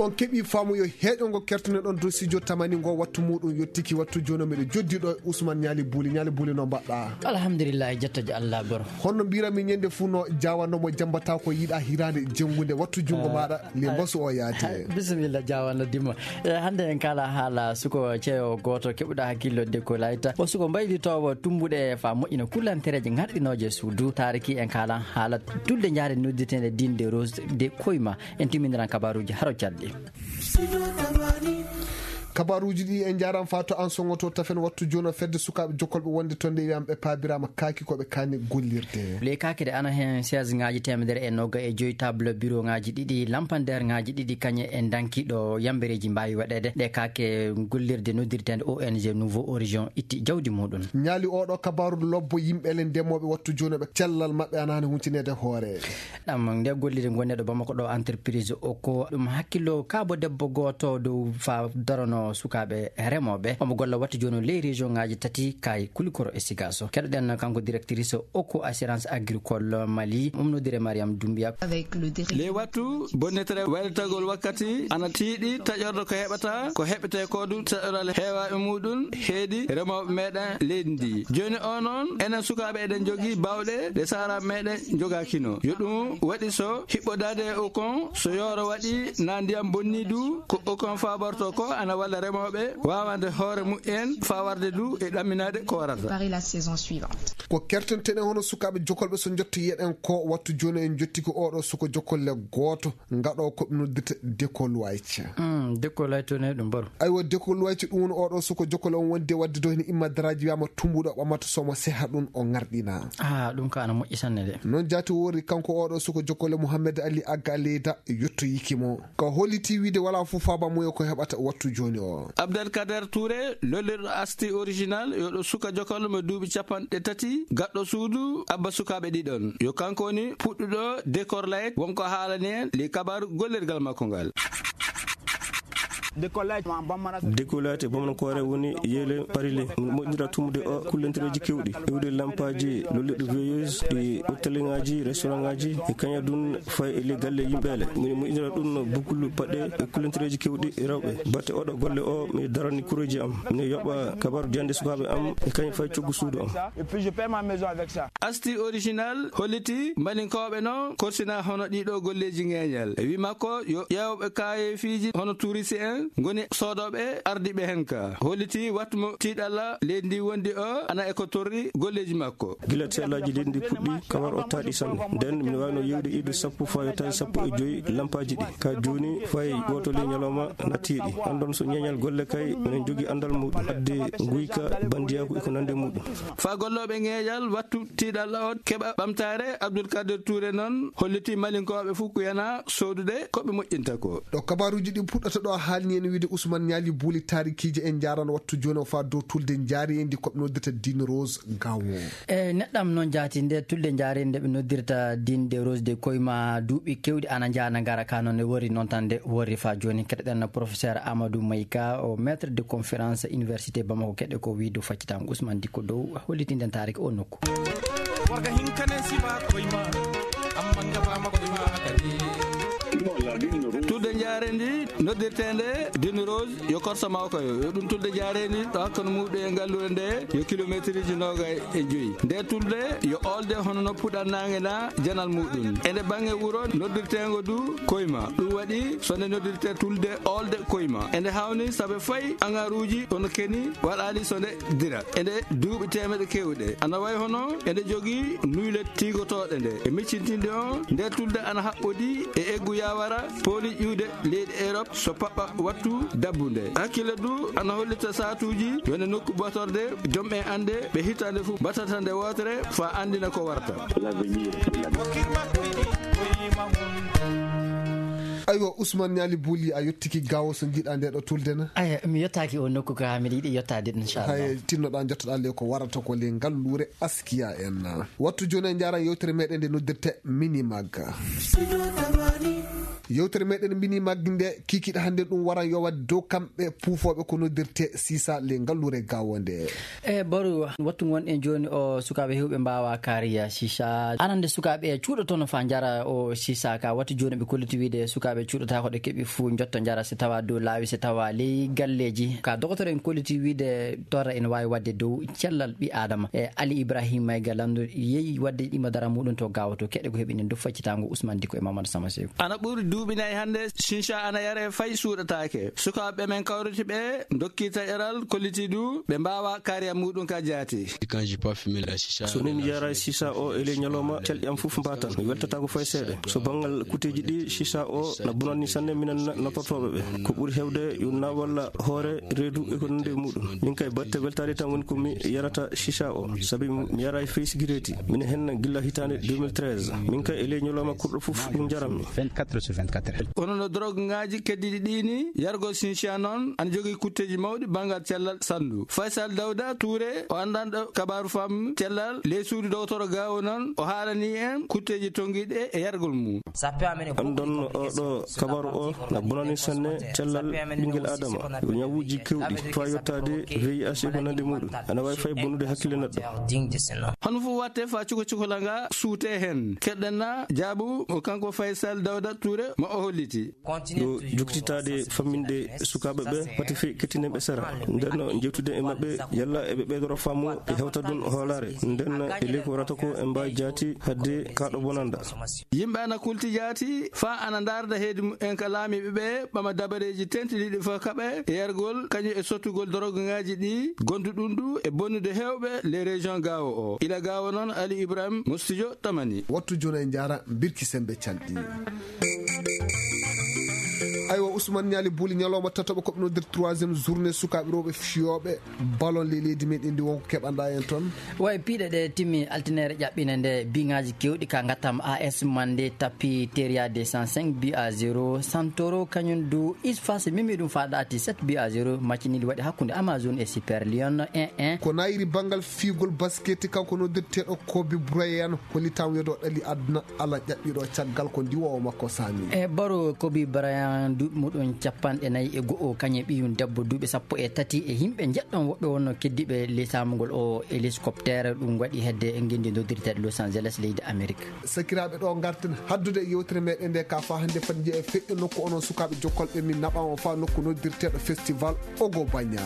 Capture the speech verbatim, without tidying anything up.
On keɓii faamu yo heeƴo ngo kertunoɗon dow studio tamani ngo, wattu muuɗum yottiki, wattu jooni miɗo joddi ɗo e Usman Ñaali Buuli. Ñaali Buuli, no mbaɗɗaa? Alhamdulillahi, jettoje Allah boro. Honno mbiiranmi ñande fuu no jaawanno mo jambataa ko yiɗaa hiraande jenngude, wattu junngo maaɗa le mbasu o yaade. Bisimilla jaawanno Dimo. E hannde en kaala haala suko ceewo gooto keɓuɗo hakkillo de ko layta. O suko mbaylitoowo tumbuɗe faa moƴƴina kullantereeje ŋarɗinooje suudu. Taariki en kaala haala tulde njaare noddirteende Dinde Rose de Koyma. En timminiran kabaaruuji haro calɗi. Kabaaruuji ɗi en njaaran faa to an soŋoto tafen wattu jooni fedde sukaaɓe jokkolɓe wonde to nde wiyam ɓe paabiraama kaaki ko ɓe kaani gollirde. Ley kaake ɗe ana heen seize ŋaaji teemedere e noga e joyi table bureau ŋaaji ɗiɗi, lampandeer ŋaaji ɗiɗi kañe e danki ɗo yambereeji mbaawi waɗeede. Ɗe kaake gollirde noddirteende O N G Nouveau Horizon itti jawdi muuɗum. Ñaali oɗo kabaaru lobbo yimɓe le ndemooɓe wattu jooni ɓe cellal maɓɓe ana hani huncineede hoore. Ɗam nde gollirde ngonneɗo Bamako ɗo entreprise o ko ɗum hakkillo kaabo debbo gooto dow faa darono sukaaɓe remooɓe. Omo golla wattu jooni ley région ŋaaji tati kay Kulikoro e Sigaso. Keɗoɗen kanko directrice o ko assurance agricole Mali, umnodire Mariam Doumbia. Avec le dérèglement. Ley wattu bonnetere waylatagol wakkati ana tiiɗi taƴorɗo ko heɓata, ko heɓetee ko du taƴoral heewaaɓe muuɗum heedi remooɓe meɗen leydi ndi. Jooni o noon, enen sukaaɓe eɗen njogii baawɗe ɗe saara meɗen njogaakino. Yo ɗum waɗi so hiɓɓodaade e o kon, so yooro waɗi naa ndiyam bonnii du, ko o kon faaborto ko ana walla remooɓe waawande hoore mumen faa warde du e ɗamminaade ko warata. Préparer la saison suivante. Ko kertenten e hono sukaaɓe jokolɓe so njottoyeɗen ko wattu jooni en njottiki oɗo suko jokolle gooto ngaɗo ko ɓe noddirta Decoluaite. Mm, Decoluaite ne ɗum baro. Aywa, Decoluaite ɗum woni oɗo suko jokkol on wondi e wadde do hino imma daraaji wiyama tumbuɗo ɓamata somo seha ɗum o ŋarɗina. Ah, ɗum ka ana moƴƴi sanne de. Noon jaati wori kanko oɗo suko jokkol e Mouhamed Ali Agga Leyda yottoyiki mo. Ka holliti wiide wala fof faaba muyo ko heɓata wattu jooni o. Abdelkader Touré, lollirɗo Asti Original, yo ɗo suka jokkol mo duuɓi capanɗe tati, gaɗɗo suudu, abba sukaaɓe ɗiɗon. Yo kanko woni puɗɗuɗo Decor Light, wonko haalani en li kabaru gollirgal makko ngal. Décollage e Bamanakoore woni yeele parile. Min moƴƴinira tumude o kullantereeji keewɗi. Iwde lampaaji lollirɗi veilleuse, ɗi hôtelleŋaaji, restaurantŋaaji, e kaña dun fay e le galle yimɓeele. Min moƴƴinira ɗum no bukulu paɗe e kullantereeji keewɗi rewɓe. Batte oɗo golle o, mi darani kureeji am. Mi yoɓa kabaru jande sukaaɓe am, e kañum fay coggu suudu am. Et puis je paie ma maison avec ça. Asti Original holliti Malinkooɓe noon korsina hono ɗiɗo golleeji ŋeeñal. E wi makko yo ƴeewɓe kaayeefiiji hono turisi en ngoni soodooɓe ardiiɓe hen ka. Holliti wattu mo tiiɗalla leydi ndi wondi o ana e ko torri golleeji makko. Gila teelaaji leydi ndi puɗɗi, kamar o taaɗi sanne. Nden mi waawno yeewde iwde sappo faa yottaade sappo e joy lampaaji ɗi. Ka jooni fay gooto ley ñalawma nattiiɗi. Anndon so ñeeñal golle kay, minen jogii anndal muuɗum. Adde nguyka, bandiyaaku e ko nandi e muuɗum. Faa gollooɓe ŋeeñal wattu tiiɗalla on keɓa ɓamtaare, Abdoul Kader Touré noon holliti Malinkooɓe fof ko yana soodude ko ɓe moƴƴinta ko. Ɗo kabaaruuji ɗi puɗɗata ɗo, a haalni en wiide Ousmane Ñaali Buuli taarikiije en njaaran wattu jooni o faa dow tulde njaareendi ko ɓe noddirta Dine Rose Gawo. E neɗɗam noon jaati nde tulde njaareendi nde ɓe noddirta Dine de Rose de Koyma duuɓi keewɗi ana njaana ngara ka noon ne worri noon tan nde worri faa jooni. Keɗoɗen professeur Amadou Mayka, o maître de conférence université Bamako, keɗe ko wiide faccitango Ousmane Dikko dow hollitinɗen taariki o nokku. Warga hinkane siba koyma, amma ngabama koyma kadi. Tulde njaareendi noddirteende Dine Rose yo korsa mawka yo, yo ɗum tulde njaareendi ɗo hakkunde muuɗum e ngalluure nde yo kilomeetiriji noogay e joyi. Nde tulde yo oolde hono no puɗan naange na janal muuɗum. E nde baŋnge wuro noddirteengo du Koyma. Ɗum waɗi so nde noddirtee tulde oolde Koyma. E nde hawni saabe fay angaruuji kono keni waɗaali so nde dira. E nde duuɓi teemeɗe keewɗe. Ana way hono e nde jogii nuyle tiigotooɗe nde. E miccintinde on, nde tulde ana haɓɓodi e eggu yawara pooli ƴuude leyɗe Europe so paɓɓa wattu dabbunde. Hakkille du ana hollita saatuuji yo nde nokku batorde joom en annde ɓe hitaande fof batata nde wootere faa anndina ko warata. Aywa, Ousmane Ñaali Buuli, a yottiki Gawo so njiɗa nde ɗo tulde na? Aya, mi yottaaki o nokku ka, miɗa yiɗi yottaade ɗum, inchallah. Hay, tinnoɗaa, jottoɗaa le ko warata ko le ngalluure Askiya en. Wattu jooni en njaaran yewtere meɗen nde noddirte Minimag. Yewtere meɗen mbini maggi nde kikiɗe hannde ɗum waran yowade dow kamɓe puufooɓe ko noddirte sisa le ngalluure gawo nde. E baru wattu ngon en joni o sukaaɓe hewɓe mbawa kariya sisa. Anande sukaaɓe cuuɗotono fa njara o sisa ka watti joni ɓe kolliti wiide sukaaɓe cuuɗotako ɗe keɓi fuu njotto njara si tawa dow laawi si tawa ley galleji. Ka dogotoren kolliti wiide torra ene wawi wadde dow cellal ɓi adama. E Ali Ibrahim Mayga Landu yehi wadde ɗima dara muɗum to gawa to keɗe ko heɓi nen dow faccitango Ousmane Diko e Mamadou Sama Sew. Ana ɓuri duuɓi nayi hannde, shisha ana yare fay suuɗataake. Sukaaɓe men kawriti ɓe, dokki taƴaral, kolliti du, ɓe mbaawa kariya muɗum ka jaati. Quand j'ai pas fumé la shisha, so min yara shisha o e ley ñalawma, calɗi am fof mbatan. Mi weltata ko fay seeɗa. So banngal kuteeji ɗi, shisha o na bonani sanne minen na-, natortooɓe ɓe. Ko ɓuri heewde yo na walla hoore, reedu e ko nande e muɗum. Min kay batte weltaade tan woni ko mi yarata shisha o, sabi mi yara e fey sigireeti. Minen hen gilla hitaande deux mille treize. Min kay e ley ñalawma kurɗo fof ɗum njarammi. Vingt-quatre sur vingt-quatre. Kono no drogue ngaji keddiɗi ɗi ni, yargo shisha noon ana jogii kutteeji mawɗi banngal cellal sandu. Faisal Dawda Touré, o anndanɗo kabaaru fam cellal, ley suudu dogotoro gawo noon, o haalani en kutteeji tongiɗe e yargol mum. Anndon oɗo kabaru o na bonani sanne cellal ɓinngel adama. Yo ñawuuji kewɗi, faa yottaade V I H e ko nandi muɗum. Ana waawi fay bonude hakkille neɗɗo. Hono fof watte fa cuko cukola nga suute hen. Keɗɗen na jaabu o kanko Faisal Dawda Touré mo o holliti. Yo jokkititaade famminde sukaaɓe ɓe, pati fe kettinenɓe sera. Nden no jewtude e maɓɓe, yalla eɓe ɓeydoro faamu e hewta ɗum hoolaare. Nden e ley ko warata ko e mbaa jaati hadde kaaɗo bonanda. Yimɓe ana kulti jaati, faa ana ndaarda heedi mumen ka laamiiɓe ɓe, ɓama dabareeji tentiniiɗi fof kaɓe, e yargol, kañum e sottugol dorogaaji ɗi, gondu ɗum du e bonnude heewɓe les régions Gaawo o. Ila Gaawo noon, Ali Ibrahim, mo studio Tamani. Wattu jono e njaara, mbirki sembe calɗi. Aywa, Ousmane Niali Bouli, ñalawma tataɓo ko ɓe noddir troisième journée sukaaɓe rewɓe fiyooɓe ballon ley leydi men indi wonko keɓanɗa en toon. Way piiɗe ɗe timmi altinere ƴaɓɓine nde biŋaaji kewɗi ka ngattam A S Mande tapi Teria deux cent cinq bi à zéro. Santoro kañum du Isfas mimi ɗum fa ɗaati sept bi à zéro. Maccinili waɗi hakkunde Amazon e Super Lion un un. Ko nayiri banngal fiigol basket kanko noddirteeɗo Kobe Bryant hollitam wedo ɗali aduna ala ƴaɓɓiɗo caggal ko ndiwoowo makko sami. E baro Kobe Bryant duuɓi muɗum capanɗe nayi e go'o kañum ɓiyum debbo duuɓi sappo e tati e yimɓe njeɗɗon woɓɓe wonno keddiiɓe ley saamugol o hélicoptère ɗum waɗi hedde e ngenndi noddirteeɗo Los Angeles leydi Amérique. Sakiraaɓe ɗo ngarten haddude e yewtere meɗen nde ka fa hannde fat njeya feƴƴo nokku onon sukaaɓe jokkolɓe min naɓa on fa nokku noddirteeɗo festival Ogo Banya.